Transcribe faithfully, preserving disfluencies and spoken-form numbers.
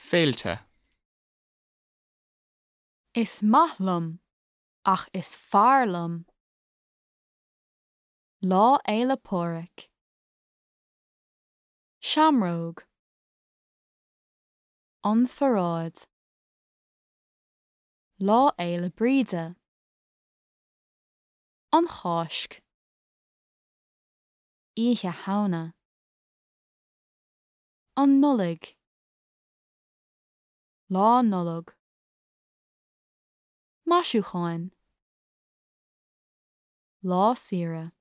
Féilte. Is maith liom ach is fearr liom. Lá Fhéile Pádraig. Seamróg. An pharáid. Lá Fhéile Bríde. An Cháisc. Oíche Shamhna. An Nollaig. Lá Nollag. Maisiúcháin. Lá saoire.